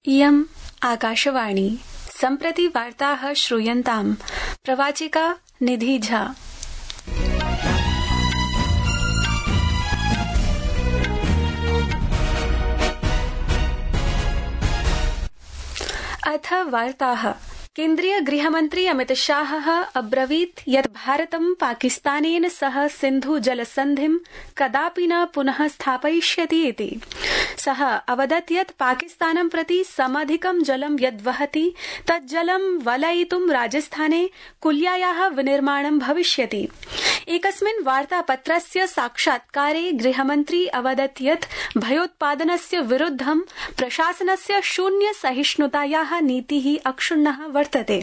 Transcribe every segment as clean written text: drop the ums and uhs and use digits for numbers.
इयम् आकाशवाणी। सम्प्रति वार्ताः श्रूयन्ताम्। प्रवाचिका निधि झा। अथ वार्ताः। केन्द्रीय गृहमन्त्री अमित शाहः अब्रवीत् यत् भारतं पाकिस्तानेन सह सिन्धु जलसन्धिं कदापि न पुनः स्थापयिष्यति इति। सः अवदत् यत् पाकिस्तानं प्रति समधिकं जलं यद्वहति तत् जलं वलयितुं राजस्थाने कुल्यायाः विनिर्माणं भविष्यति। एकस्मिन् वार्तापत्रस्य साक्षात्कारे गृहमन्त्री अवदत् यत् भयोत्पादनस्य विरुद्धं प्रशासनस्य शून्य सहिष्णुतायाः नीतिः अक्षुण्णः वर्तते।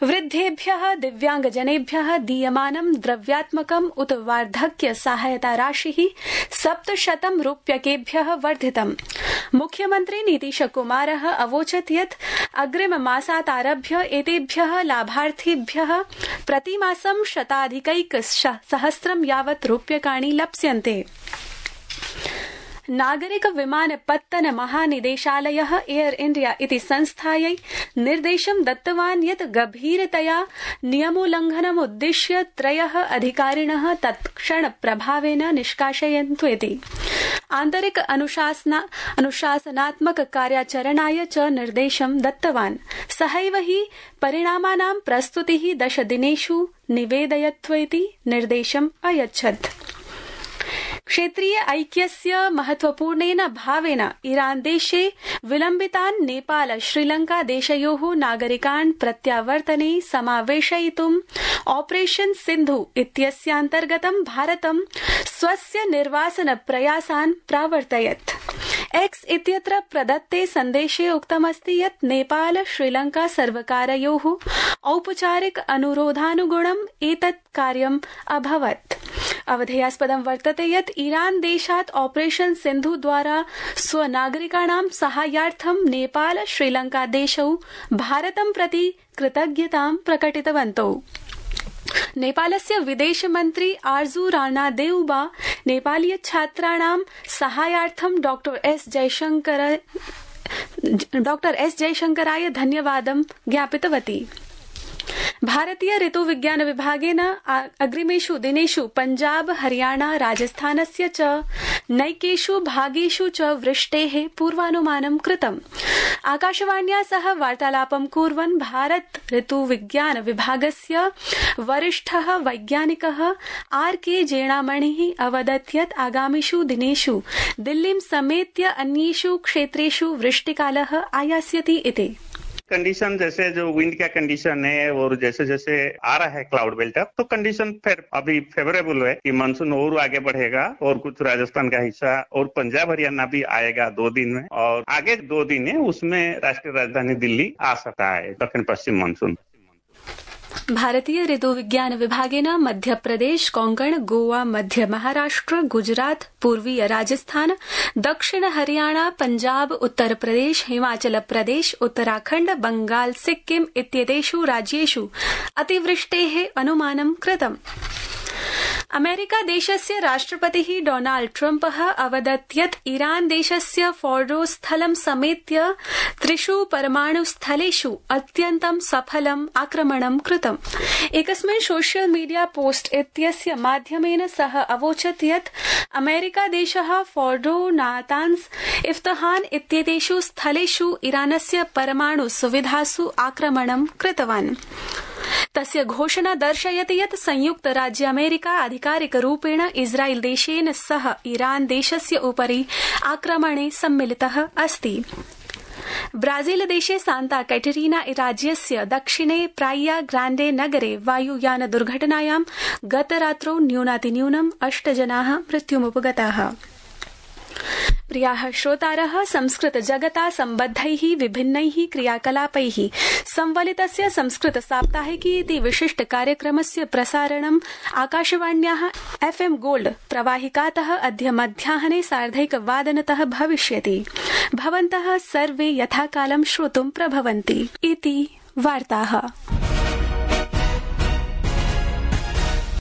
वृद्धेभ्यः दिव्यांगजनेभ्यः दीयमानं द्रव्यात्मकम् उत वार्धक्य सहायता राशिः 700 रूप्यकेभ्यः वर्धितम्। मुख्यमन्त्री नीतीशकुमारः अवोचत् यत् अग्रिममासादारभ्य एतेभ्यः लाभार्थिभ्यः प्रतिमासं 100,000 यावत् रूप्यकाणि लप्स्यन्ते। नागरिक विमानपत्तन महानिदेशालयः एयर इंडिया इति संस्थायै निर्देशं दत्तवान् यत् गभीरतया नियमोल्लंघनमुद्दिश्य 3 अधिकारिणः तत्क्षण प्रभावेन निष्कासयन्तु इति। आन्तरिक अनुशासनात्मक कार्याचरणाय च निर्देशं दत्तवान्। सहैव हि परिणामानां प्रस्तुतिः 10 दिनेषु निवेदयत्व इति निर्देशम् अयच्छत्। क्षेत्रीय ऐक्यस्य महत्वपूर्णेन भावेन ईरान देशे विलम्बितान् नेपाल श्रीलंका देशयोः नागरिकान् प्रत्यावर्तने समावेशयितुं ऑपरेशन सिन्धु इत्यस्यान्तर्गतं भारतं स्वस्य निर्वासन प्रयासान् प्रावर्तयत्। एक्स इत्यत्र प्रदत्ते सन्देशे उक्तमस्ति यत् नेपाल श्रीलंका सर्वकारयोः औपचारिक अनुरोधानुगुणम् एतत् कार्यम् अभवत्। अवधेयास्पदं वर्तते यत् ईरान देशात् ऑपरेशन सिन्धु द्वारा स्वनागरिकाणां साहाय्यार्थं नेपाल श्रीलंका देशौ भारतं प्रति कृतज्ञतां प्रकटितवन्तौ। नेपालस्य विदेशमन्त्री आर्जू राणा देउबा नेपालीय छात्राणां साहाय्यार्थं डॉक्टर एस जयशंकराय धन्यवादं ज्ञापितवती। भारतीय ऋतुविज्ञान विभागेन अग्रिमेषु दिनेषु पञ्जाब हरियाणा राजस्थानस्य च नैकेषु भागेषु च वृष्टेः पूर्वानुमानं कृतम्। आकाशवाण्या सह वार्तालापं कुर्वन् भारत ऋतुविज्ञान विभागस्य वरिष्ठः वैज्ञानिकः आर.के. जेणामणिः अवदत् यत् आगामिषु दिनेषु दिल्लीं समेत्य अन्येषु क्षेत्रेषु वृष्टिकालः आयास्यति इति। कंडीशन जैसे जो विंड का कंडीशन है और जैसे जैसे आ रहा है क्लाउड बेल्ट तो कंडीशन फिर अभी फेवरेबल है कि मानसून और आगे बढ़ेगा और कुछ राजस्थान का हिस्सा और पंजाब हरियाणा भी आएगा 2 दिन में और आगे 2 दिन है उसमें राष्ट्रीय राजधानी दिल्ली आ सकता है दक्षिण पश्चिम मानसून। भारतीय ऋतुविज्ञान विभागेन मध्यप्रदेश कोंकण गोवा मध्य महाराष्ट्र गुजरात पूर्वीय राजस्थान दक्षिण हरियाणा पंजाब उत्तर प्रदेश हिमाचल प्रदेश उत्तराखण्ड बंगाल सिक्किम इत्येतेषु राज्येषु अतिवृष्टेः अनुमानं कृतम्। अमेरिका देशस्य राष्ट्रपतिः डोनाल्ड ट्रम्पः अवदत् यत् ईरान देशस्य फोर्डो स्थलं समेत्य 3 परमाणुस्थलेषु अत्यन्तं सफलम् आक्रमणं कृतम्। एकस्मिन् सोशल मीडिया पोस्ट इत्यस्य माध्यमेन सः अवोचत् यत् अमेरिका देशः फोर्डो नातान्स इफ्तहान इत्येतेषु स्थलेषु ईरानस्य परमाणु सुविधासु आक्रमणं कृतवान्। तस्य घोषणा दर्शयति यत् संयुक्त राज्य अमेरिका आधिकारिकरूपेण इस्राएल देशेन सह ईरान देशस्य उपरि आक्रमणे सम्मिलितः अस्ति। ब्राजील देशे सांता कैटरीना राज्यस्य दक्षिणे प्राइया ग्रांडे नगरे वायुयान दुर्घटनायां गतरात्रौ न्यूनातिन्यूनं 8 जनाः मृत्युमुपगताः। प्रियाः श्रोतारः, संस्कृत जगता सम्बद्धैः विभिन्नैः क्रियाकलापैः संवलितस्य संस्कृत साप्ताहिकी इति विशिष्ट कार्यक्रमस्य प्रसारणम् आकाशवाण्याः FM गोल्ड प्रवाहिकातः अद्य मध्याह्ने 1:30 भविष्यति। भवन्तः सर्वे यथाकालं श्रोतुं प्रभवन्ति इति वार्ताः।